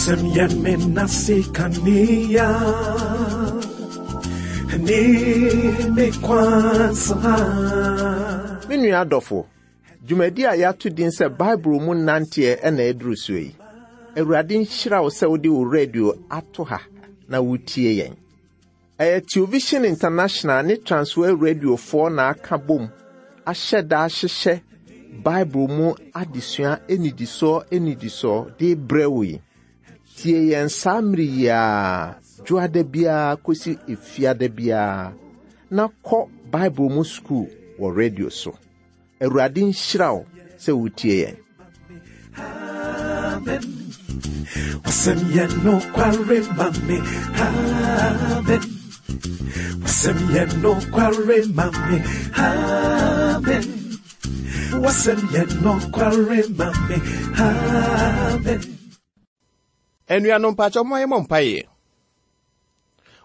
Wasɛm yɛ me nase kanea ne me kwan so ha. Me nua adɔfo, dwumadi a yɛato din sɛ Bible mu nanteɛ na ɛduru soɔ yi. Awurade nhyira wo sɛ wode wo radio ato ha na wotie yɛn. Ɛyɛ Television International ne Transworld Radiofoɔ na aka bom ahyɛ da ahyehyɛ Bible mu adesua nnidisoɔ nnidisoɔ de brɛ wo yi. Tie yɛn saa mmere yi ara, dwoada biara kɔsi efiada biara, na kɔ Bible mu sukuu wɔ radio so. Awurade nhyira wo sɛ wotie yɛn. Amen. Wasɛm yɛ nokware ma me. Amen. Wasɛm yɛ nokware ma me. Amen. Wasɛm yɛ nokware ma me. Amen. Anuanom mpakyɛ momma yɛmmɔ mpaeɛ.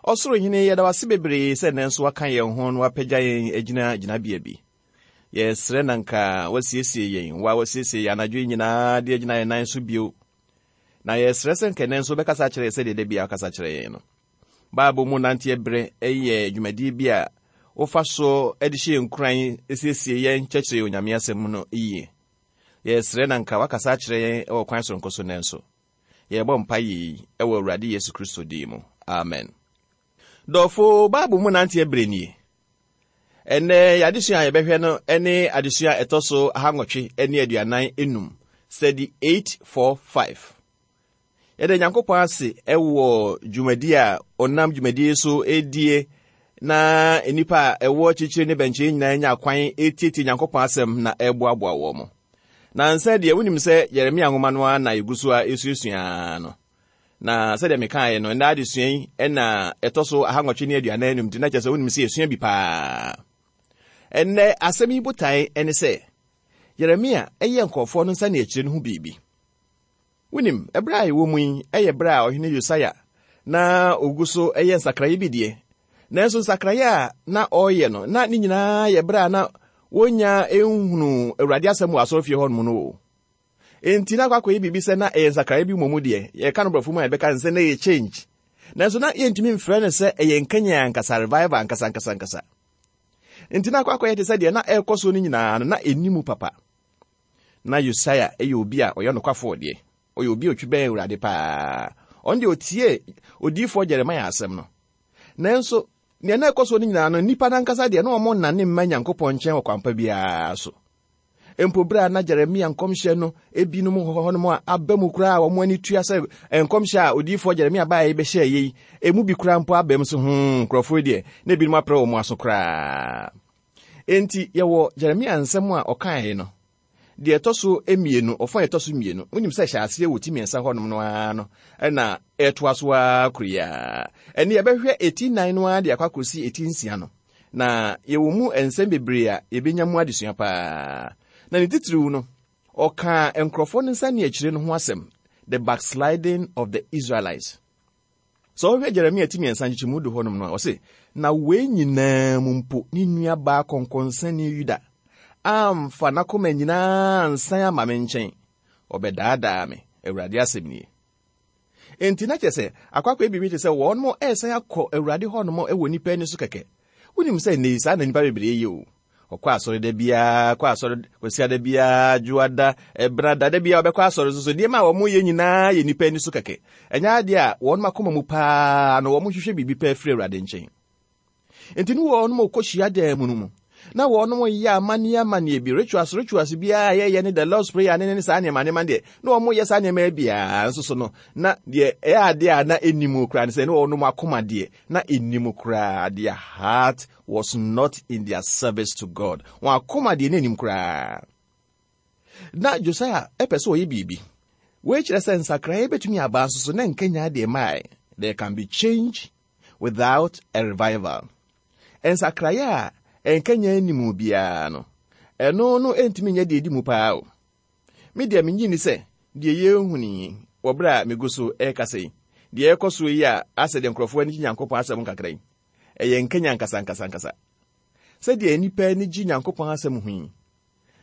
Ɔsoro Hene, yɛda wo ase bebree sɛ nnɛ nso woaka yɛn ho na woapagya yɛn agyina gyinabea bi. Yɛsrɛ na nka woasiesie yɛn, wo a woasiesie yɛn anadwo yi nyinaa de agyina yɛn nan so bio. Na yɛsrɛ sɛ nka nnɛ nso wobɛkasa akyerɛ yɛn sɛdeɛ da biara wokasa kyerɛ yɛn no. Bible mu nanteɛ berɛ yɛ dwumadie bi a wofa so de hyɛ yɛn nkuran, siesie yɛn, kyerɛkyerɛ yɛn Onyame asɛm no yie. Yɛsrɛ na nka woakasa akyerɛ yɛn wɔ kwan soronko so nnɛ nso. Yɛrebɔ mpaeɛ yi wɔ Awurade Yesu Kristo din mu. Amen. Dɔfo, Bible mu nanteɛ berɛ nie. Ɛnnɛ, yɛn adesua a yɛbɛhwɛ no ne adesua a ɛtɔ so ahanwɔtwe ne aduanan enum, study 845. Yɛda Nyankopɔn ase wɔ dwumadi a ɔnam dwumadi so redie na nnipa a ɛwɔ akyirikyiri ne bɛnkyɛn nyinaa nya kwan retietie Nyankopɔn asɛm na ɛreboaboa wɔn mo. Na nsɛ deɛ wonim sɛ Yeremia nwoma no ara na yɛgu so a ɛsuasua no. Na sɛdeɛ mekaeɛ no, ɛnnɛ adesua yi na ɛtɔ so ahanwɔtwe ne aduanan anum nti na kyerɛ sɛ wonim sɛ yɛsua bi paa. Ɛnnɛ asɛm yi botae ne sɛ Yeremia yɛ nkurɔfoɔ no nsaneakyire no ho biribi. Wonim, ɛberɛ a yɛwɔ mu yi yɛ berɛ a ɔhene Yosaia na ɔgu so yɛ nsakraeɛ bi deɛ, nanso nsakraeɛ a na ɔreyɛ no, na ne nyinaa yɛ berɛ a na wɔnnya nhunuu Awurade asɛm wɔ asɔrefie hɔnom no o. Enti na akɔ akɔyɛ biribi sɛ na ɛyɛ nsakraeɛ bi mmom deɛ, yɛka no borɔfo mu a yɛbɛka no sɛ na ɛyɛ change. Nanso na yɛntumi mfrɛ no sɛ ɛyɛ nkanyan ankasa, revival ankasa ankasa ankasa. Enti na akɔ akɔyɛ te sɛ deɛ na ɛrekɔ so no nyinaa no, na ɛnni mu papa. Na Yosaia yɛ obi a ɔyɛ nokwafoɔ deɛ, ɔyɛ obi a ɔtwi bɛn Awurade paa. Ɔno deɛ ɔtiee odiyifoɔ Jeremia asɛm no. Nanso, nea na ɛkɔ so no nyinaa no, nnipa no ankasa deɛ na wɔn nnane mma Nyankopɔn nkyɛn wɔ kwampa biara so. Mpo berɛ a na Jeremia nkɔmhyɛ no ebinom wɔ hɔnom a aba mu koraa a wɔn ani tua sɛ nkɔmhyɛ a odiyifoɔ Jeremia baeɛ bɛhyɛɛ yei, emu bi koraa mpo aba mu so hmm, nkurɔfoɔ yi deɛ, na ebinom aprɛ wɔn aso koraa. Enti yɛwɔ Jeremia nsɛm a ɔkaeɛ no, deɛ ɛtɔ so mmienu, ɔfa a ɛtɔ so mmienu. Wonim sɛ hyɛ aseɛ wɔ ti mmiɛnsa hɔnom no ara no, ɛna ɛtoa so ara koro yi ara. Ɛne yɛbɛhwɛ eti nnan no ara de akɔ akɔsi eti nsia no. Na yɛwɔ mu nsɛm bebree a yɛbɛnya mu adesua paa. Na ne titiriw no, ɔkaa nkurɔfoɔ no nsaneakyire no ho asɛm, the backsliding of the Israelites. Sɛ wohwɛ Jeremia ti mmiɛnsa nkyekyɛmu du hɔnom no a, ɔse, Na wei nyinaa mu mpo ne nuabaa kɔnkɔnsani Yuda amfa n'akoma nyinaa ansan ama me nkyɛn, ɔbɛdaadaa me, Awurade asɛm nie. Enti na kyerɛ sɛ akɔ akɔyɛ biribi te sɛ wɔn resan akɔ Awurade hɔnom wɔ nnipa ani so kɛkɛ. Wonim sɛ nnɛ yi saa na nnipa bebree yɛ o. Ɔkɔ asɔre da biara, kɔ asɔre Kwasiada biara, Dwoada, Ɛbenada, da biara ɔbɛkɔ asɔre nso so nneɛma a wɔyɛ nyinaa yɛ nnipa ani so kɛkɛ. Ɛnyɛ adeɛ a wɔn akoma mu paa no wɔhwehwɛ biribi paa firi Awurade nkyɛn. Enti ne wɔnom kɔ hyiadan mu no mu, na wɔnom yɛ amanneɛ amanneɛ bi, rituals rituals biara a yɛyɛ ne the Lord's Prayer ne ne saa nneɛma nneɛma deɛ, na wɔn yɛ saa nneɛma biara nso so no, na deɛ ɛyɛ adeɛ a na ɛnni mu koraa ne sɛ ne wɔnom akoma deɛ na ɛnni mu koraa, their heart was not in their service to God. Wɔn akoma deɛ na ɛnnim koraa. Na Josiah pɛ sɛ ɔyɛ biribi. Wei kyerɛ sɛ nsakraeɛ bɛtumi aba nso so na nkanyan deɛ mae. There can be change without a revival. Nsakraeɛ a nkanyan nni mu biara no, ɛno no ntumi nyɛ deɛ ɛdi mu paa o. Me deɛ mennye nni sɛ deɛ yɛrehunu yi wɔ berɛ a megu so rekasa yi, deɛ ɛrekɔ soɔ yi a asɛ deɛ nkurɔfoɔ ani gye Nyankopɔn asɛm ho kakra yi, ɛyɛ nkanyan ankasaankasankasa. Sɛdeɛ nnipa ani gye Nyankopɔn asɛm ho yi,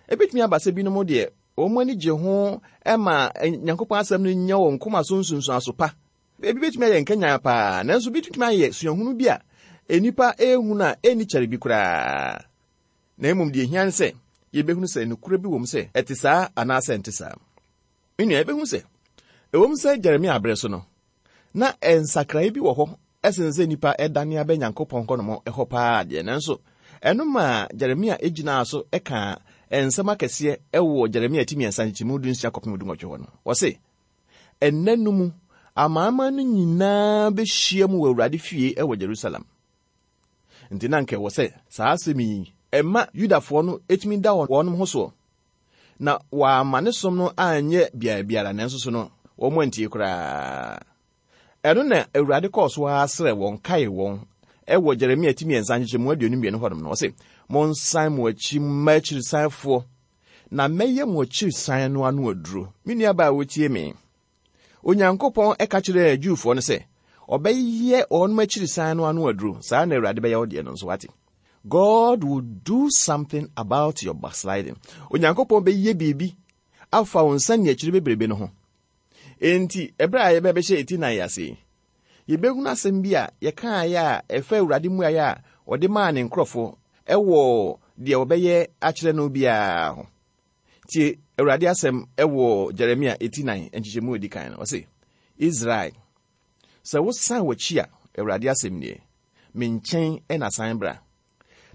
ɛbɛtumi aba sɛ binom deɛ wɔn ani gye ho ma Nyankopɔn asɛm no nya wɔn koma so nsunsuanso pa. Ebi betumi ayɛ nkanyan paa, nanso bi betumi ayɛ suahunu bi a nnipa rehu no a enni kyɛre bi koraa. Na mmom deɛ ehia ne sɛ yebehunu sɛ nokorɛ bi wom sɛ ɛte saa anaasɛ ɛnte saa. Me nua, yɛbɛhu sɛ ɛwom sɛ Jeremia bere so no, na nsakrae bi wɔ hɔ sen sɛ nnipa dane aba Nyankopɔn hɔnom hɔ paa deɛ, nanso ɛno maa Jeremia gyinaa so kaa nsɛm akɛseɛ wɔ Jeremia ti mmiɛnsa nkyekyɛmu dunsia kɔpem dunwɔtwe hɔ no. Ɔse, Ɛnna no mu, amanaman no nyinaa bɛhyia mu wɔ Awurade fie wɔ Jerusalem. Nti na anka ɛwɔ sɛ saa asɛm yi ɛma Yudafoɔ no tumi da wɔn ho soɔ na wɔamma ne som no anyɛ beaɛ biara, nanso so no wɔn antie koraa. Ɛno na Awurade kɔɔ so ara srɛ wɔn kaee wɔn wɔ Jeremia ti mmiɛnsa nkyekyɛmu 22 hɔnom no, ɔse, Monsan mo akyi mma akyirisanfoɔ, na mɛyɛ mo akyirisan no ano aduro. Me nuabaa a wotie me, Onyankopɔn ka kyerɛɛ Jewfoɔ no sɛ ɔbɛyɛ wɔn akyirisan no ano aduro. Saa na Awurade bɛyɛ wo deɛ no nso, wate. God will do something about your backsliding. Onyankopɔn bɛyɛ biribi afa wo nsa ne akyiri bebrebe no ho. Enti, ɛberɛ a yɛbɛbɛhyɛ eti nan ase yi, yɛbɛhunu asɛm bi a yɛkaeɛ a ɛfa Awurade mmuaeɛ a ɔde maa ne nkurɔfoɔ ɛwɔ deɛ wɔbɛyɛ akyerɛ no biara ho. Tie Awurade asɛm wɔ Jeremia eti nan nkyekyɛmu a edi kan no. Ɔse, Israel, sɛ wosan w'akyi a, Awurade asɛm nie, me nkyɛn na san bra.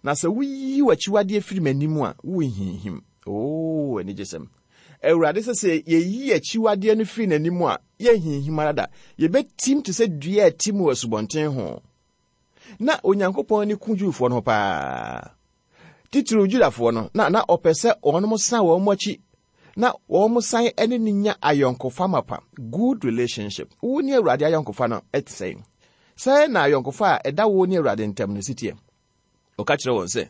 Na sɛ woyi w'akyiwadeɛ firi m'anim a, worenhinhim. Oo, anigyesɛm! Awurade sɛ sɛ yɛyi akyiwadeɛ no firi n'anim a, yɛnhinhim ara da. Yɛbɛtim te sɛ dua a ɛtim wɔ asubɔnten ho. Na Onyankopɔn ani ku Jewfoɔ no ho paa. Titiriw Judafoɔ no, na na ɔpɛ sɛ wɔn san wɔn akyi na wɔn san ne no nya ayɔnkofa mapa, good relationship. Wo ne Awurade ayɔnkofa no te sɛn? Sɛn na ayɔnkofa a ɛda wo ne Awurade ntam no si teɛ? Ɔka kyerɛ wɔn sɛ,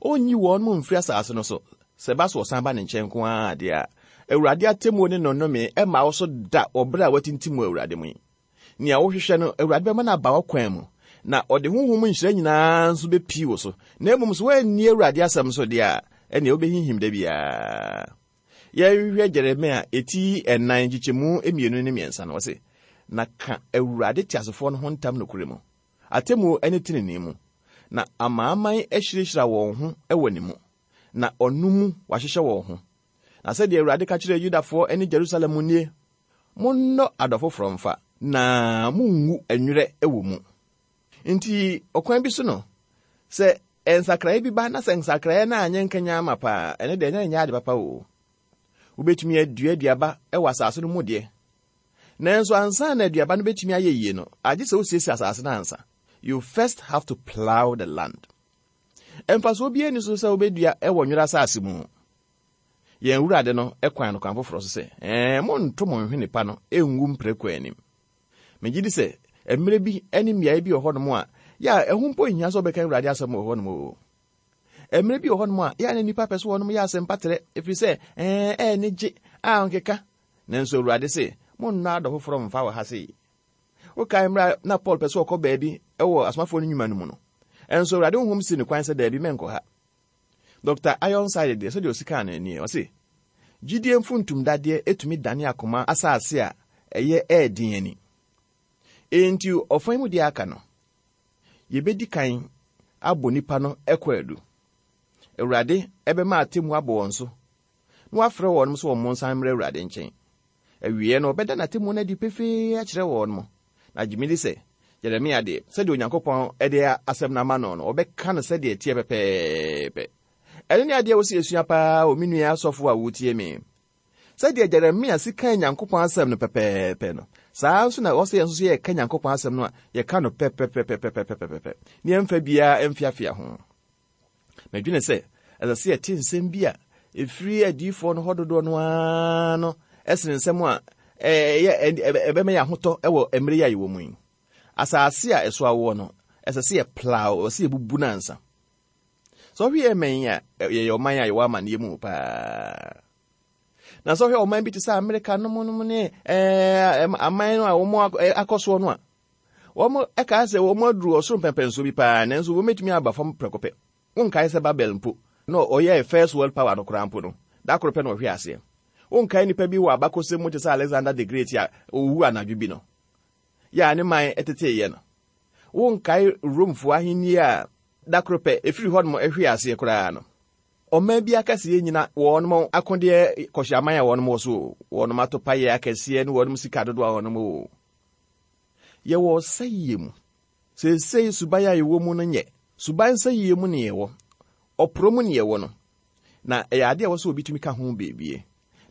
ɔnyi wɔn mu mfiri asase no so, sɛ ɛba so wɔsan ba ne nkyɛn nko ara deɛ a, Awurade atemmuo ne nnɔnnome mma wo so da wɔ berɛ a woatintim wɔ Awurade mu yi. Nea wohwehwɛ no, Awurade bɛma no aba w'akwan mu, na ɔde honhom mu nhyira nyinaa nso bepie wo so. Na mmom sɛ woanni Awurade asɛm so deɛ a, ɛnneɛ wobɛhinhim da biara. Yɛnhwɛ Jeremia eti ɛnan nkyekyɛmu mmienu ne mmiɛnsa no, ɔse, Na ka Awurade teasefoɔ no ho ntam nokorɛ mu, atemmuo ne tenenee mu, na amanaman ahyirahyira wɔn ho wɔ ne mu, na ɔno mu wɔahyehyɛ wɔn ho. Na sɛdeɛ Awurade ka kyerɛɛ Yudafoɔ ne Jerusalem nie, Monnɔ adɔ foforɔ mfa, na monngu nwerɛ wɔ mu. Nti ɔkwan bi so no, sɛ nsakraeɛ bi ba na sɛ nsakraeɛ no anyɛ nkanyan ama paa, ɛno deɛ ɛnyɛ ade papa o. Wobɛtumi adua aduaba wɔ asase no mu deɛ, nanso ansa na aduaba no bɛtumi ayɛ yie no, agye sɛ wosiesie asase no ansa. You first have to plow the land. Mfasoɔ biara nni so sɛ wobɛdua wɔ nwerɛ asase mu. Yɛn Awurade no kwan no kwan foforɔ so sɛ, Ɛɛ, monnto mo nhwene pa no ngu mprako anim. Megye di sɛ mmerɛ bi ne mmeaeɛ bi wɔ hɔnom a, yɛ a ɛho mpo nhia sɛ wobɛka Awurade asɛm wɔ hɔnom o. Mmerɛ bi wɔ hɔnom a, yɛ a na nnipa pɛ sɛ wɔnom yɛ asɛmpa trɛ, ɛfiri sɛ, ɛɛ, ɛyɛ ne gye a ɔnkeka. Nanso Awurade se, monnɔ adɔ foforɔ mfa wɔ ha sei. Wokae mmerɛ a na Paul pɛ sɛ ɔkɔ baabi wɔ Asomafoɔ no nnwuma no mu no, ɛnso Awurade honhom sii no kwan sɛ daabi mɛnkɔ ha. Dɔkta Ironside deɛ, sɛdeɛ ɔsi kaa no nie, ɔse, Gyidie mfuntumdadeɛ tumi dane akoma asase a ɛyɛ ɛɛden ani. Enti ɔfa yi mu deɛ aka no, yɛbɛdi kan abɔ nnipa no kwaadu. Awurade bɛma atemmuo abɔ wɔn so, na wafrɛ wɔn sɛ wɔn nsan mmra Awurade nkyɛn. Awieɛ no, ɔbɛda n'atemmuo no adi pefee akyerɛ wɔn. Na gye medi sɛ, Yeremia deɛ, sɛdeɛ Onyankopɔn de asɛm no ama no no, ɔbɛka no sɛdeɛ ɛteɛ pɛpɛɛpɛ. Ɛno ne adeɛ a ɛwɔ sɛ yɛsua paa o, me nua asɔfo a wotie me. Sɛdeɛ Jeremia si kaa Nyankopɔn asɛm no pɛpɛɛpɛ no, saa ara nso na ɛwɔ sɛ yɛn nso yɛka Nyankopɔn asɛm no a, yɛka no pɛpɛpɛpɛpɛpɛpɛ, na yɛmfa biara mfeafea ho. Medwene sɛ ɛsɛ sɛ yɛte nsɛm bi a ɛfiri adiyifoɔ no hɔ dodoɔ no ara no sene nsɛm a ɛyɛ ɛbɛma yɛn ahotɔ wɔ mmerɛ yi a yɛwɔ mu yi. Asase a ɛso awoɔ no, ɛsɛ sɛ yɛplow, ɛsɛ sɛ yɛbubu no ansa. Sɛ ɔhwɛ yɛn mɛn yi a, yɛyɛ ɔman a yɛwɔ amanneɛ mu paa. Na sɛ ɔhwɛ ɔman bi te sɛ Amerika nom nom ne ɛɛ aman no a wɔn akɔ soɔ no a, Wɔkaa sɛ wɔn aduru ɔsoro mpɛnpɛnsoɔ bi paa, nanso wɔbɛtumi aba fam prɛko pɛ. Wonkae sɛ Babel mpo, na ɔyɛɛ first world power no koraa mpo no, da koro pɛ na ɔhwee aseɛ. Wonkae nnipa bi wɔ abakɔsɛm mu te sɛ Alexander the Great a owu anadwo bi no, yɛ a ne man teteeɛ no? Wonkae Romfoɔ ahennie a da koro pɛ ɛfiri hɔnom hwee aseɛ koraa no? Ɔman bi akɛseyɛ nnyina wɔnom akodeɛ kɔhyeaman a wɔnom wɔ so o, wɔnom atopayɛ akɛseɛ ne wɔnom sika dodoɔ a wɔnom wɔ o. Yɛwɔ ɔsɛeɛ mu. Seesei suban a yɛwɔ mu no nyɛ. Suban sɛeɛ mu ne yɛwɔ. Ɔporɔ mu ne yɛwɔ no. Na ɛyɛ adeɛ a ɛwɔ sɛ obi tumi ka ho biribi.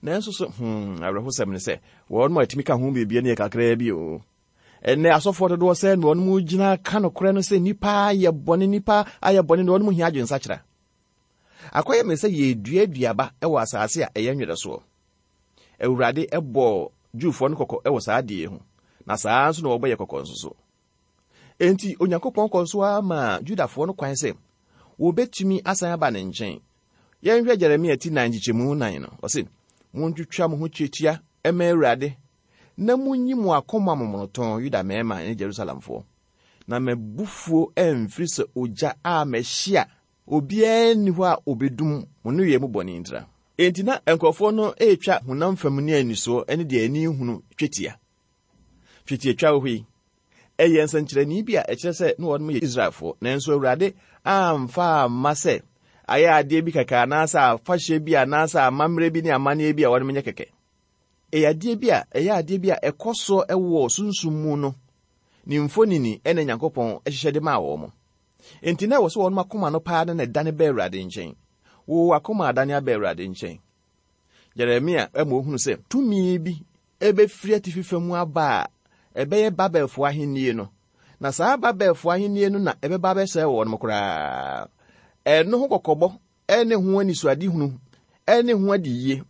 Nanso so, hmm, awerɛhosɛm ne sɛ, wɔnom a ɛtumi ka ho biribi no yɛ kakraa bi o. Ɛnnɛ asɔfoɔ dodoɔ sɛ na wɔnom gyina ka nokorɛ no sɛ nnipa ayɛ bɔne, nnipa ayɛ bɔne na wɔnom hia adwensakyera. Akɔyɛ me sɛ yɛredua aduaba wɔ asase a ɛyɛ nwerɛ soɔ. Awurade bɔɔ Jewfoɔ no kɔkɔ wɔ saa adeɛ yi ho, na saa ara nso na wɔbɔ yɛ kɔkɔ nso so. Enti Onyankopɔn kɔɔ so ara maa Judafoɔ no kwan sɛ wɔbɛtumi asan aba ne nkyɛn. Yɛnhwɛ Jeremia ti nan nkyekyɛmu nan no, ɔse, Montwitwa mo ho twetia mma Awurade, na monyi mo akoma momonotɔn, Yuda mmarima ne Jerusalemfoɔ, na m'abufuo amfiri sɛ ogya a mɛhye a Obiara nni hɔ a obedum mo nneyɛe mu bɔne ntira. Enti na nkurɔfoɔ no retwa honam fam ne anisoɔ ne deɛ ani nhunu twetia. Twetiatwa wɔ hɔ yi, ɛyɛ nsɛnkyerɛnne bi a ɛkyerɛ sɛ na wɔnom yɛ Israelfoɔ, nanso Awurade amfa amma sɛ ayɛ adeɛ bi kɛkɛ anaasɛ afahyɛ bi anaasɛ amammerɛ bi ne amanneɛ bi a wɔnom nyɛ kɛkɛ. Ɛyɛ adeɛ bi a ɛyɛ adeɛ bi a ɛkɔ soɔ wɔ sunsum mu no ne mfonini na Nyankopɔn hyehyɛ de maa wɔn. Enti na ɛwɔ sɛ wɔn akoma no paa na ɛdane ba Awurade nkyɛn. Wo akoma adane aba Awurade nkyɛn. Jeremia ma ohunu sɛ tumi bi bɛfiri atifi fam aba a ɛbɛyɛ Babelfoɔ ahennie no, na saa Babelfoɔ ahennie no na ɛbɛba abɛsɛe wɔn koraa. Ɛno ho kɔkɔbɔ ne ho anisoadehunu ne ho adiyie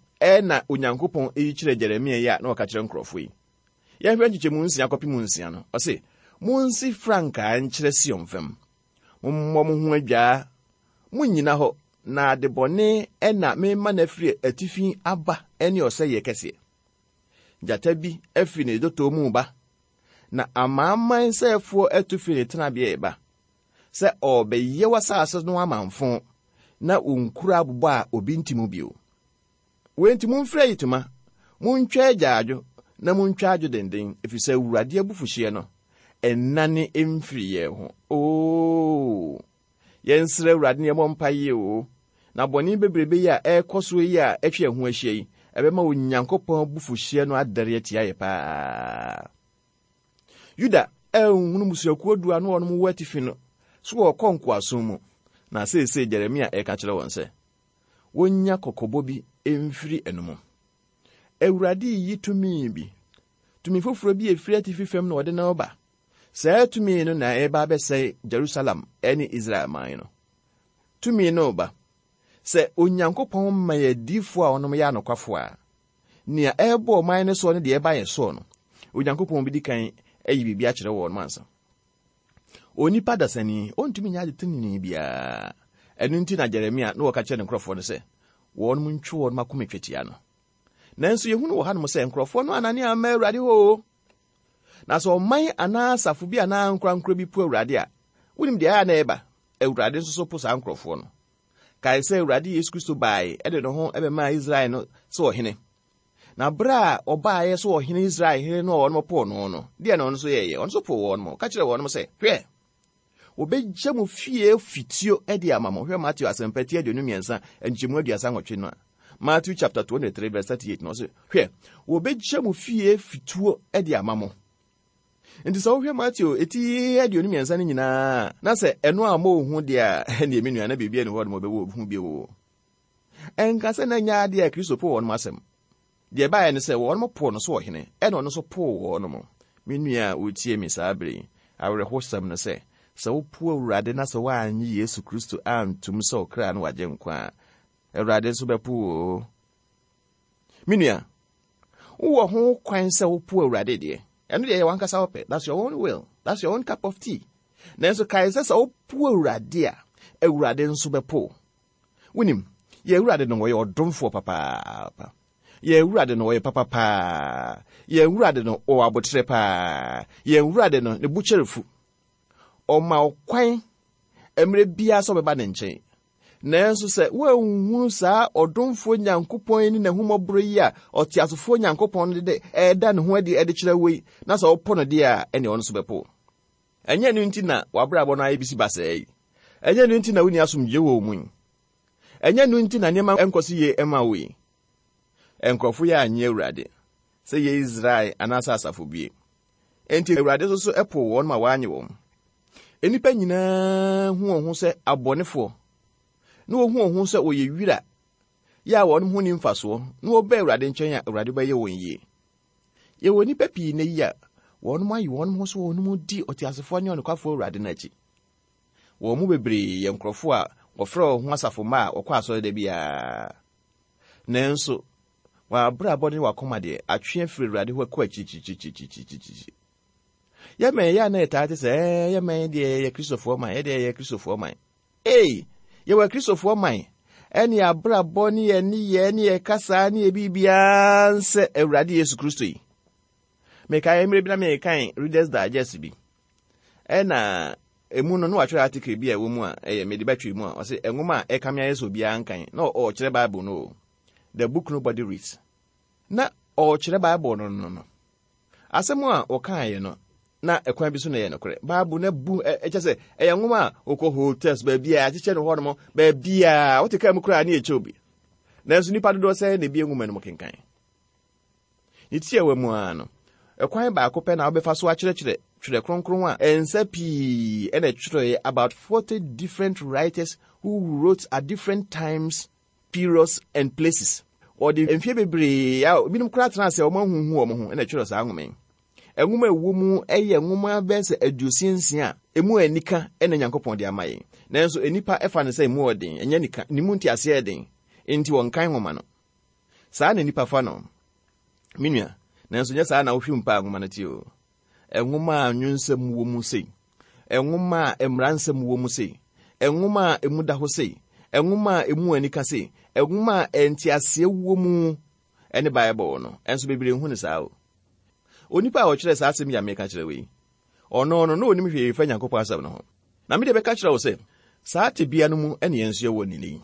na Onyankopɔn yi kyerɛ Jeremia yi a na ɔka kyerɛ nkurɔfoɔ yi. Yɛnhwɛ nkyekyɛmu nsia kɔpem nsia no. Ɔse, Monsi frankaa nkyerɛ Sion fam. Mommɔ mo ho adwaa. Monnyina hɔ, na adebɔne na merema no afiri atifi aba ne ɔsɛeɛ kɛseɛ. Gyata bi afiri ne dɔtɔ mu reba, na amanaman sɛefoɔ atu firi ne tenabea reba, sɛ ɔrebɛyɛ w'asase no amamfõ, na wo nkuro abobɔ a obi nte mu bio. Wei nti momfiri ayitoma, montwa agyaadwo, na montwa adwo denden, ɛfiri sɛ Awurade abufuhyeɛ no, ɛnnane mfiri yɛn ho. Oo, yɛnsrɛ Awurade na yɛmmɔ mpaeɛ o, na bɔne bebrebe yi a ɛrekɔ so yi a atwa yɛn ho ahyia yi, ɛbɛma Onyankopɔn abufuhyeɛ no adɛre atia yɛ paa. Yuda anhunu mmusuakuo du a na wɔn wɔ atifi no so wɔrekɔ nkoasom mu, na seesei Jeremia reka kyerɛ wɔn sɛ, wonnya kɔkɔbɔ bi mfiri ɛno mu. Awurade reyi tumi bi, tumi foforɔ bi a ɛfiri atifi fam na ɔde no reba. Saa tumi no na ɛreba abɛsɛe Jerusalem ne Israel man no. Tumi no reba. Sɛ Onyankopɔn ma yɛ adiyifoɔ a wɔnom yɛ anokwafoɔ a, nea ɛrebɔ ɔman no soɔ ne deɛ ɛreba yɛn soɔ no, Onyankopɔn bɛdi kan ayi biribi akyerɛ wɔn ansa. Onipa dasani, ontumi nyɛ ade trenee biara. Ɛno nti na Jeremia na ɔka kyerɛ ne nkurɔfoɔ no sɛ, wɔnom ntwe wɔn akoma twetia no. Nanso yɛhunu wɔ hanom sɛ nkurɔfoɔ no anane amma Awurade hɔ o. Na sɛ ɔman anaa asafo bi anaa ankorankoro bi po Awurade a, wonim deɛ ɛyɛ na ɛba? Awurade nso so po saa nkurɔfoɔ no. Kae sɛ Awurade Yesu Kristo bae de ne ho bɛmaa Israel no sɛ ɔhene. Na bere a ɔbaeɛ sɛ ɔhene Israel hene no a wɔn poo no no, deɛ na ɔno nso yɛeɛ? Ɔno nso poo wɔn. Ɔka kyerɛɛ wɔn sɛ, Hwɛ, wɔbɛgya mo fie fituo de ama mo. Hwɛ Mateo asɛmpa ti 23, nkyɛmu 38 no a. Matthew chapter 23 verse 38 no ɔse, Hwɛ, wɔbɛgya mo fie fituo de ama mo. Nti sɛ wohwɛ Mateo eti 23 no nyinaa na sɛ ɛno a mo hu deɛ a, ɛneɛ me nua na biribi ani hɔ nom ɔbɛwɔ hu bio. Ɛnka sɛ na ɛnyɛ adeɛ a Kristo poo wɔn asɛm. Deɛ ɛbaeɛ ne sɛ wɔn poo no so ɔhene, ɛna ɔno nso poo wɔn. Me nua a wotie me saa bere yi, awerɛhosɛm ne sɛ, sɛ wopo Awurade na sɛ woannye Yesu Kristo antom sɛ ɔkra ne w'Agyenkwa a, Awurade nso bɛpo wo o. Me nua, wowɔ ho kwan sɛ wopo Awurade deɛ, ɛno deɛ ɛyɛ w'ankasa wo pɛ, that's your own will, that's your own cup of tea. Nanso kae sɛ sɛ wopo Awurade a, Awurade nso bɛpo wo. Wonim, yɛn Awurade no, ɔyɛ ɔdomfoɔ papaapa. Yɛn Awurade no, ɔyɛ papa paa. Yɛn Awurade no, ɔwɔ aboterɛ paa. Yɛn Awurade no, ne bo kyɛre fu. Ɔma wo kwan mmerɛ biara sɛ wobɛba ne nkyɛn. Nanso sɛ woanhunu saa ɔdomfoɔ Nyankopɔn yi ne n'ahummɔborɔ yi a ɔteasefoɔ Nyankopɔn no de ɛreda ne ho adi de kyerɛ wo yi, na sɛ wopo no deɛ a, ɛnneɛ ɔno nso bɛpo wo. Ɛnyɛ ɛno nti na w'abrabɔ no ayɛ bisi basaa yi. Ɛnyɛ ɛno nti na wonni asomdwoeɛ wɔ wo mu yi. Ɛnyɛ ɛno nti na nneɛma nkɔ so yie mma wo yi. Nkurɔfo yi annye Awurade, sɛ ɛyɛ Israel anaasɛ asafo bi. Enti Awurade nso so poo wɔn ma wɔannye wɔn. Nnipa nyinaa hu wɔn ho sɛ abɔnefoɔ, na wɔhu wɔn ho sɛ wɔyɛ wira yɛ a wɔn ho nni mfasoɔ, na wɔba Awurade nkyɛn a, Awurade bɛyɛ wɔn yie. Yɛwɔ nnipa pii nnɛ yi a wɔn ayi wɔn ho so wɔn di ɔteasefoɔ ne ɔnokwafoɔ Awurade no akyi. Wɔn mu bebree yɛ nkurɔfoɔ a wɔfrɛ wɔn ho asafo mma a wɔkɔ asɔre da biara. Nanso, wɔn abrabɔ ne wɔn akoma deɛ, atwe afiri Awurade hɔ kɔ akyirikyirikyirikyirikyiri. Yɛmɛn yɛ a na yɛtaa te sɛ, ɛɛ, yɛmɛn deɛ yɛyɛ Kristofoɔ man, yɛdeɛ yɛyɛ Kristofoɔ man. Ei, yɛwɔ Kristofoɔ man, ɛne abrabɔ ne yɛn nneyɛɛ ne yɛn kasaa ne yɛn biribiara nsɛ Awurade Yesu Kristo yi. Mekae mmerɛ bi na merekan Reader's Digest bi. Ɛna emu no na watwerɛ article bi a ɛwɔ mu a ɛyɛ mede bɛtwe mu a ɔse nwoma a ɛkame ayɛ sɛ obiara nkan na ɔrekyerɛ Bible no o. The Book Nobody Reads. Na ɔrekyerɛ Bible no no no. Asɛm a ɔkaeɛ no na ɛkwan bi so na ɛyɛ nokorɛ. Bible no abu ɛkyɛ sɛ ɛyɛ nwoma a wokɔ hotels baabi a akyekyɛ no hɔnom baabi a wote kaa mu koraa ne ɛkyɛ obi. Nanso nnipa dodoɔ sɛ na ebie nwoma no mu kenkan. Ne tiawa mu ara no, ɛkwan baako pɛ na wobɛfa so akyerɛkyerɛ Twerɛ Kronkron a nsa pii na ɛtwerɛeɛ about 40 different writers who wrote at different times, periods and places. Wɔde mfeɛ bebree a ebinom koraa tena ase a wɔn ahuhu wɔn ho na ɛtwerɛ saa nwoma yi. Nwoma a ɛwɔ mu yɛ nwoma bɛyɛ sɛ 60 a emu anika na Nyankopɔn de ama yɛn. Nanso nnipa fa no sɛ emu ɔden, ɛnyɛ nika, ne mu nteaseɛ yɛ den, enti wɔnkan nwoma no. Saa na nnipa fa no, me nua, nanso nyɛ saa na wohwɛ mu paa nwoma no te o. Nwoma a nwonsɛm wɔ mu sei, nwoma a mmara nsɛm wɔ mu sei, nwoma a emu da hɔ sei, nwoma a emu anika sei, nwoma a nteaseɛ wɔ mu ne Bible no. Ɛnso bebree nhu no saa o. Onipa a ɔkyerɛɛ saa asɛm yi a meka kyerɛ wo yi, ɔno no, na onim hwee fa Nyankopɔn asɛm no ho. Na me deɛ bɛka kyerɛ wo sɛ, saa tebea no mu ne yɛn nso yɛwɔ nnɛ yi.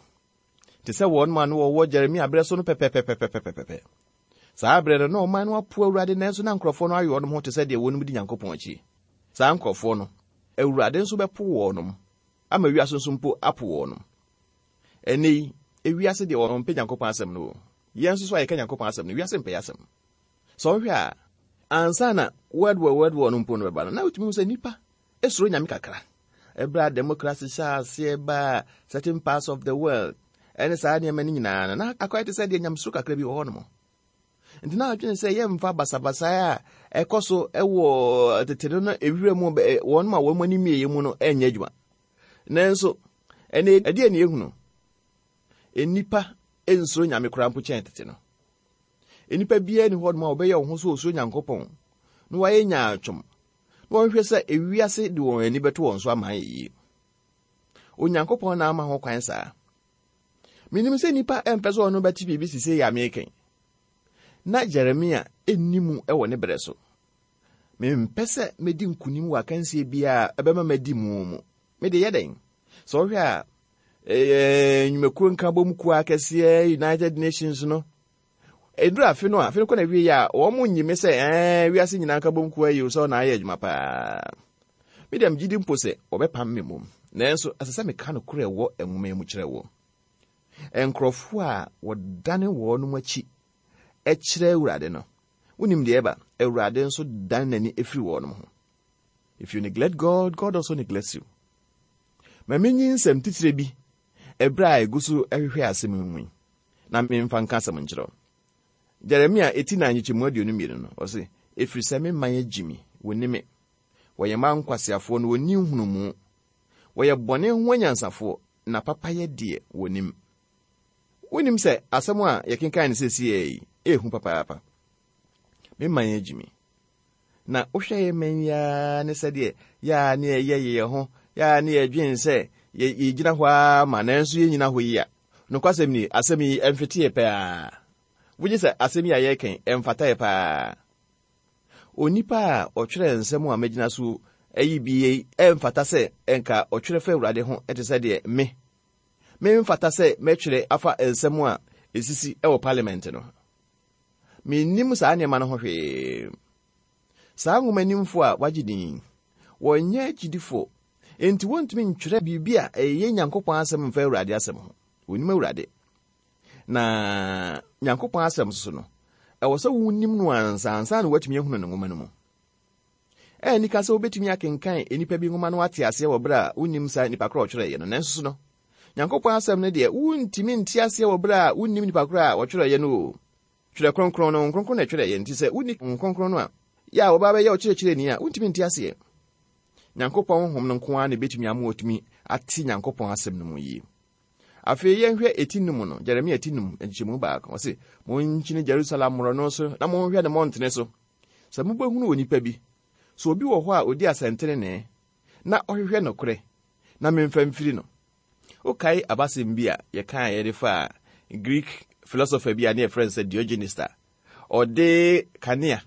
Te sɛ wɔn a na wɔwɔ Jeremia berɛ so no pɛpɛpɛpɛpɛpɛpɛ. Saa berɛ no, na ɔman no apo Awurade nanso na nkurɔfoɔ no ayɛ wɔn ho te sɛ deɛ wɔn di Nyankopɔn akyi. Saa nkurɔfoɔ no, Awurade nso bɛpo wɔn, ama wiase nso mpo apo wɔn. Ɛnnɛ yi, ewiase deɛ wɔmpɛ Nyankopɔn asɛm no o. Yɛn nso so a yɛka Nyankopɔn asɛm no, wiase mpɛ yɛn asɛm. Sɛ wohwɛ a, ansa na World War World War no mpo no bɛba no, na wotumi hu sɛ nnipa Esuro Nyame kakra. Ɛberɛ a democracy hyɛɛ aseɛ baa certain parts of the world ɛne saa nneɛma no nyinaa no, na akɔyɛ te sɛ deɛ nyamesuro kakra bi wɔ hɔ nom. Nti na adwene sɛ yɛmfa basabasaeɛ a ɛkɔ so wɔ tete no no ewira mu wɔn ma wɔn ani mmieyɛ mu no ɛnyɛ adwuma. Nanso, ɛnɛ ɛdeɛ ne yɛhunu? Nnipa nsuro Nyame koraa mpo kyɛn tete no. Nnipa biara ni hɔ nom a wɔbɛyɛ wɔn ho so osuro Nyankopɔn na wɔayɛ nyaatwom na wɔnhwɛ sɛ ewiase de wɔn ani bɛto wɔn so ama ayɛ yie. Onyankopɔn na ama ho kwan saa. Menim sɛ nnipa mpɛ sɛ ɔno bɛte biribi sisei a meka yi. Na Jeremia nni mu wɔ ne berɛ so. Mempɛ sɛ medi nkonim wɔ akansie biara a ɛbɛma madi mu mu. Mede yɛ dɛn? Sɛ wohwɛ a, nnwumakuo nkabom kuo akɛseɛ United Nations no, Ɛduru afe no a, afe no kɔ n'awiei a, wɔn nyi me sɛ ɛɛ wiase nyinaa nkabom kuo ayi sɛ ɔna ayɛ adwuma paa. Me deɛ megye di mpo sɛ wɔbɛpam me mmom. Nanso ɛsɛ sɛ meka nokorɛ ɛwɔ nwoma yi mu kyerɛ wo. Nkurɔfoɔ a wɔdane wɔn akyi kyerɛ Awurade no, wonim deɛ ɛba? Awurade nso dane n'ani firi wɔn ho. If you neglect God, God also neglects you. Ma menyi nsɛm titire bi ɛberɛ a ɛgu so hwehwɛ asɛm yi mu yi. na memfa nka asɛm nkyerɛ wo. Jeremia eti na nkyekyɛmu 22 no, ɔse, Ɛfiri sɛ me man agyi me, wɔnni me. Wɔyɛ mma nkwaseafoɔ na wɔnni nhunumu. Wɔyɛ bɔne ho anyansafoɔ, na papayɛ deɛ wɔnnim. Wonnim sɛ asɛm a yɛkenkan no seesei yi yɛ hu papaapa? Me man agyi me. Na wohwɛ yɛn man yi ara ne sɛdeɛ yɛ a ne yɛyɛ yɛn ho, yɛ a ne yɛdwen sɛ yɛgyina hɔ ara ma nanso yɛnnyina hɔ yi a, nokwasɛm ni, asɛm yi ɛmfete yɛ paa. Wogye sɛ asɛm yi a yɛreka yi ɛmfata yɛ paa? Onipa a ɔtwerɛ nsɛm a magyina so ayi bi yi ɛmfata sɛ ɛnka ɔtwerɛ fa Awurade ho te sɛ deɛ me. Memfata sɛ mɛtwerɛ afa nsɛm a ɛsisi wɔ parliament no. Mennim saa nneɛma no ho hwee. Saa nwomanimfoɔ a wɔagye din yi, wɔnyɛ agyidifoɔ, enti wɔntumi ntwerɛ biribi a ɛyɛ Nyankopɔn asɛm mfa Awurade asɛm ho. Wɔnnim Awurade. Na Nyankopɔn asɛm nso no, ɛwɔ sɛ wonim no ansa ansa na woatumi ahunu ne nwoma no mu. Ɛyɛ anika sɛ wobɛtumi akenkan nnipa bi nwoma no ate aseɛ wɔ berɛ a wonnim saa nnipa korɔ a ɔtwerɛeɛ no, nanso so no, Nyankopɔn asɛm no deɛ, wontumi nte aseɛ wɔ berɛ a wonnim nnipa korɔ a ɔtwerɛeɛ no o. Twerɛ Kronkron no, Honhom Kronkron na ɛtwerɛeɛ, nti sɛ wonni Honhom Kronkron no a, yɛ a wɔba bɛyɛ ɔkyerɛkyerɛni a, wontumi nte aseɛ. Nyankopɔn Honhom no nko ara na ɛbɛtumi ama watumi ate Nyankopɔn asɛm no mu yie. Afei yɛnhwɛ eti num no, Jeremia ti num, nkyekyɛmu baako. Ɔse, Monkyini Jerusalem mmorɔno so na monhwɛ ne mmɔntene so, sɛ mobɛhunu onipa bi, sɛ obi wɔ hɔ a ɔdi asɛntenenee na ɔhwehwɛ nokorɛ, na memfa mfiri no. Wokae abasɛm bi a yɛkaeɛ de faa Greek philosopher bi a ne yɛfrɛ no sɛ Diogenes a ɔde kanea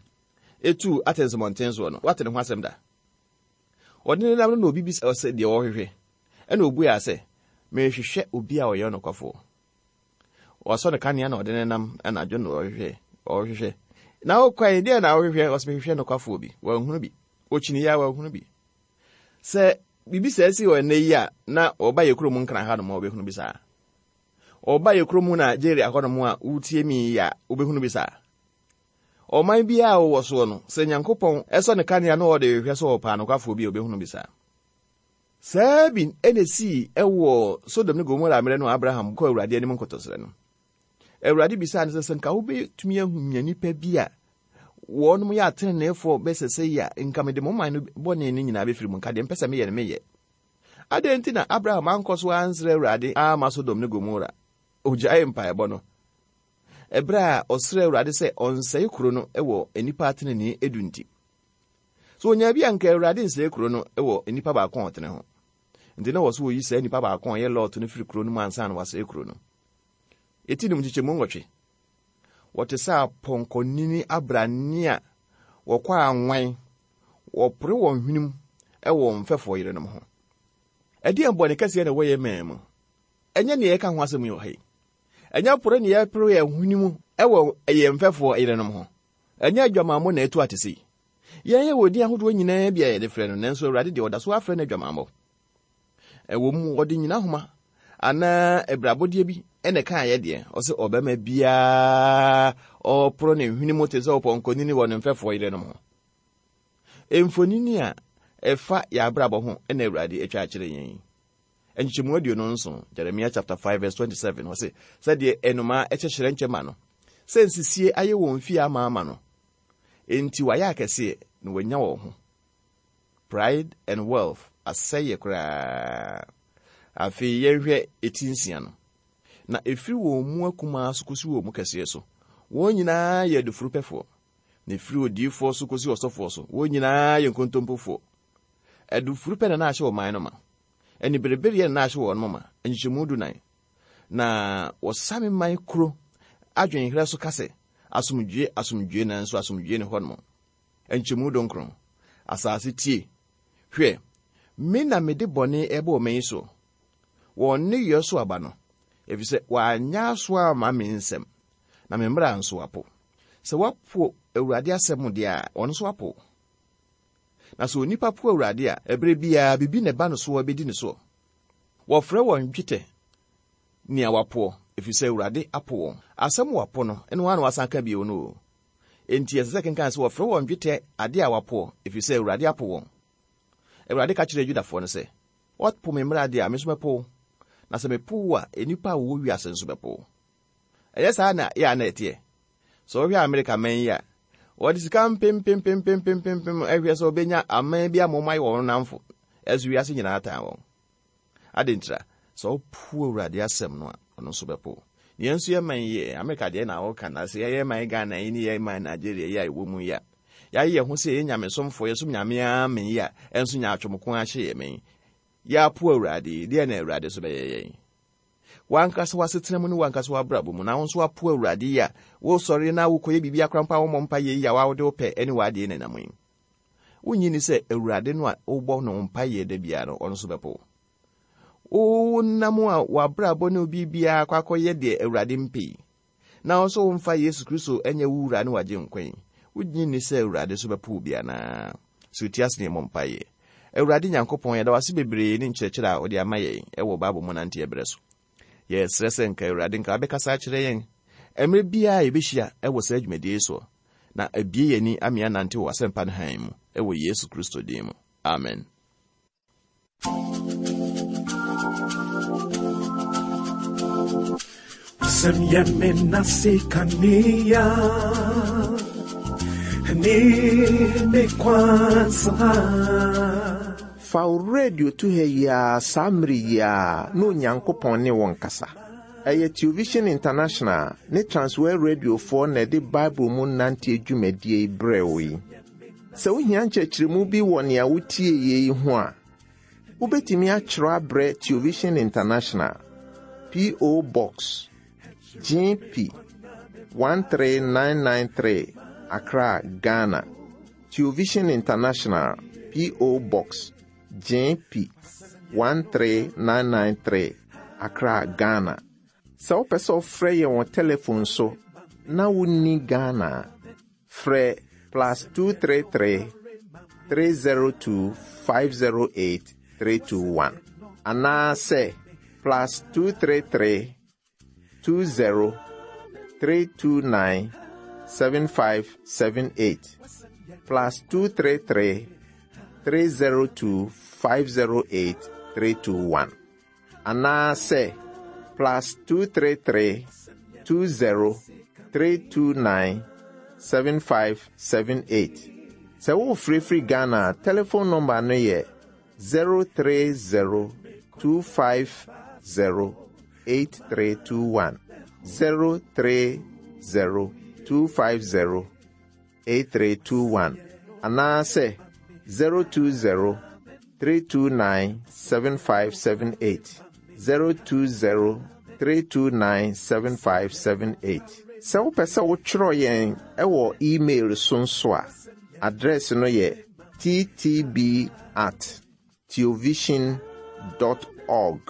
etuu Athens mmɔnten soɔ no? Woate ne ho asɛm da? Ɔde ne nam no na obi bisa sɛ deɛ ɔrehwehwɛ. Ɛna obuaa sɛ, Merehwehwɛ obi a ɔyɛ ɔnokwafoɔ. Ɔsɔ ne kanea na ɔde ne nam anadwo na ɔrehwehwɛ, ɔrehwehwɛ. Na wokɔe, deɛ na wohwehwɛ? Ɔsɛ mehwehwɛ nokwafoɔ bi. Wanhunu bi. Ɔkyiniiɛ a wanhunu bi. Sɛ biribi saa si wɔ ɛnnɛ yi a, na ɔba yɛ kurom Nkran hanom a wobɛhunu bi saa. Ɔba yɛ kurom Nigeria hɔnom a wotie mi yi a wobɛhunu bi saa. Ɔman biara a wowɔ soɔ no, sɛ Nyankopɔn sɔ ne kanea na ɔde hwehwɛ sɛ ɔpɛ anokwafoɔ bi a, ɔbɛhunu bi saa. Saa bi na ɛsii wɔ Sodom ne Gomora mmerɛ no a Abraham kɔɔ Awurade anim nkotosrɛ no. Awurade bisaa no sɛ, sɛ nka wobɛtumi ahunya nnipa bi a wɔnom yɛ ateneneefoɔ bɛsɛ sɛ yi a, nka mede mo man no bɔne no nyinaa bɛfiri mu, nka deɛ mpɛ sɛ meyɛ no meyɛ. Adɛn nti na Abraham ankɔ so ansrɛ Awurade amma Sodom ne Gomora? Ɔgyaee mpaebɔ no. Ɛberɛ a ɔsrɛɛ Awurade sɛ ɔnsɛe kuro no wɔ nnipa atenenee edu nti. So ɔnyaa bi a anka Awurade nsɛe kuro no wɔ nnipa baako a ɔtene ho. Nti na wɔ so wɔyi saa nnipa baako a ɔyɛ Lot no firi kuro no mu ansa na wasɛe kuro no. Eti num nkyekyɛmu nwɔtwe. Wɔte sɛ apɔnkɔnini abrane a wɔkɔ anwan, wɔpore wɔn hwenem wɔ wɔn mfɛfoɔ yerenom ho. Ɛdeɛn bɔne kɛseɛ na ɛwɔ yɛn man mu? Ɛnyɛ nea yɛka ho asɛm yi wɔ ha yi. Ɛnyɛ pore na yɛpere yɛn hwene mu wɔ yɛn mfɛfoɔ yerenom ho. Ɛnyɛ adwamammɔ na ɛtu atese yi. Yɛn yɛwɔ din ahodoɔ nyinaa bi a yɛde frɛ no, nanso Awurade deɛ ɔda so ara frɛ no adwamammɔ. Ɛwɔ mu, ɔde nyinahoma anaa abirabɔdeɛ bi na ɛkaeɛ deɛ, ɔsɛ ɔbarima biara ɔporo ne hwene mu te sɛ ɔpɔnkɔnini wɔ ne mfɛfoɔ yerenom ho. Mfonini a ɛfa yɛn abrabɔ ho na Awurade atwa akyerɛ yɛn yi. Nkyekyɛmu 27, Jeremiah chapter 5 verse 27, ɔse, Sɛdeɛ nnomaa kyekyerɛ nkyɛ ma no, sɛ nsisie ayɛ wɔn fie amaama no, enti wɔayɛ akɛseɛ na wɔanya wɔn ho. Pride and wealth asɛeɛ koraa. Afei yɛnhwɛ eti nsia no. Na ɛfiri wɔn mu akumaa so kɔsi wɔn mu kɛseɛ so, wɔn nyinaa yɛ adufurupɛfoɔ. Na ɛfiri odiyifoɔ so kɔsi ɔsɔfoɔ so, wɔn nyinaa yɛ nkontompofoɔ. Adufurupɛ na na ahyɛ ɔman no ma. Aniberebereɛ na na ahyɛ wɔn ma. Nkyekyɛmu dunan. Na wɔsa me man kuro adwenherɛ so ka sɛ, Asomdwoeɛ, asomdwoeɛ, nanso asomdwoeɛ nni hɔnom. Nkyɛmu dunkron. Asase tie! Hwɛ, me na mede bɔne reba ɔman yi so, wɔn nneyɔɛ so aba no, efisɛ wɔanyɛ aso amma me nsɛm, na me mmara nso wɔapo. Sɛ woapo Awurade asɛm deɛ a, wɔn nso apo wo. Na sɛ onipa po Awurade a, ɛberɛ biara biribi na ɛba no soɔ bɛdi ne soɔ. Wɔfrɛ wɔn dwetɛ nea wɔapoɔ, ɛfiri sɛ Awurade apo wɔn. Asɛm wɔapo no, ɛno ara na wɔasan ka bio no o. Enti ɛsɛ sɛ ɛkenkan sɛ wɔfrɛ wɔn dwetɛ ade a wɔapoɔ, ɛfiri sɛ Awurade apo wɔn. Awurade ka kyerɛɛ Yudafoɔ no sɛ, Woapo me mmara deɛ a, me nso mɛpo wo, na sɛ mepo wo a, nnipa a wɔwɔ wiase nso bɛpo wo. Ɛnyɛ saa na yɛ a na ɛteɛ? Sɛ wohwɛ Amerika man yi a, wɔde sika mpempempempempempem hwɛ sɛ wɔbɛnya aman bi ama wɔayɛ wɔn nnamfo, nanso wiase nyinaa tan wɔn. Adɛn ntira? Sɛ wopo Awurade asɛm no a, ɔno nso bɛpo wo. Na yɛn nso yɛn man yi, Amerika deɛ na woka na sɛ yɛyɛ man Ghana yi ne yɛn man Nigeria yi a yɛwɔ mu yi a, yɛayɛ yɛn ho sɛ yɛyɛ nyamesomfoɔ, yɛsom Nyame ara men yi a, ɛnso nyaatwom ko ara hyɛ yɛn men. Yɛapo Awurade yi, deɛn na Awurade nso bɛyɛ yɛn? W'ankasa w'asetena mu ne w'ankasa w'abrabɔ mu, na wo nso woapo Awurade yi a, wosɔre na wokɔyɛ biribi akora mpo a wommɔ mpaeɛ yi a wode wo pɛ ne w'adeɛ na ɛnam yi. Wonnye nni sɛ Awurade no a wobɔ no mpaeɛ da biara no, ɔno nso bɛpo wo? Wonam a w'abrabɔ ne wo biribiara akɔ akɔyɛ deɛ Awurade mpɛ yi, na wo nso womfa Yesu Kristo nyɛ wo wura ne w'agyenkwa yi, wogye nni sɛ Awurade nso bɛpo wo bi anaa? So ti ase ne yɛmmɔ mpaeɛ. Awurade Nyankopɔn, yɛda wo ase bebree ne nkyerɛkyerɛ a wode ama yɛn wɔ Bible mu nanteɛ berɛ so. Yɛsrɛ sɛ nka Awurade nka wabɛkasa akyerɛ yɛn mmerɛ biara a yɛbɛhyia wɔ saa dwumadie yi soɔ, na abue yɛn ani ama yɛanante wɔ w'asɛmpa no hann mu, wɔ Yesu Kristo din mu. Amen. Wasɛm yɛ me nase kanea ne me kwansa. Fa wo radio to ha yi ara saa mmere yi ara na Onyankopɔn ne wo nkasa. Ɛyɛ Television International ne Transworld Radiofoɔ na ɛde Bible mu nanteɛ dwumadie yi brɛɛ wo yi. Sɛ wohia nkyerɛkyerɛmu bi wɔ nea wotieeɛ yi ho a, wobɛtumi atwerɛ abrɛ Television International, P.O. Box, GP 13993, Accra, Ghana. Television International, P.O. Box, GP 13993, Accra, Ghana. Sɛ wopɛ sɛ wofrɛ yɛn wɔ telefon so na wonni Ghana a, frɛ plus 233 302 508 321 anaasɛ plus 233 20 329 7578 plus 233 302 508 321 anaasɛ plus 233 20 329 7578. Sɛ worefrɛfiri Ghana a, telefon nɔmba no yɛ 030 250 8321. 030 250 8321 anaasɛ 020 329 7578 020 329 7578. Sɛ wopɛ sɛ wotwerɛ yɛn wɔ email so nso a, address no yɛ ttb at theovision dot org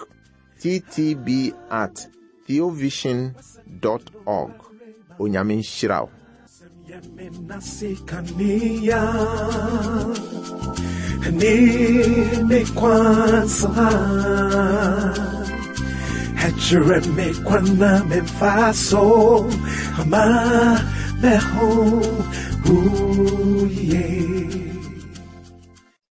ttb at theovision dot org. Onyame nhyira wo. Ama me ho, ooh, yeah.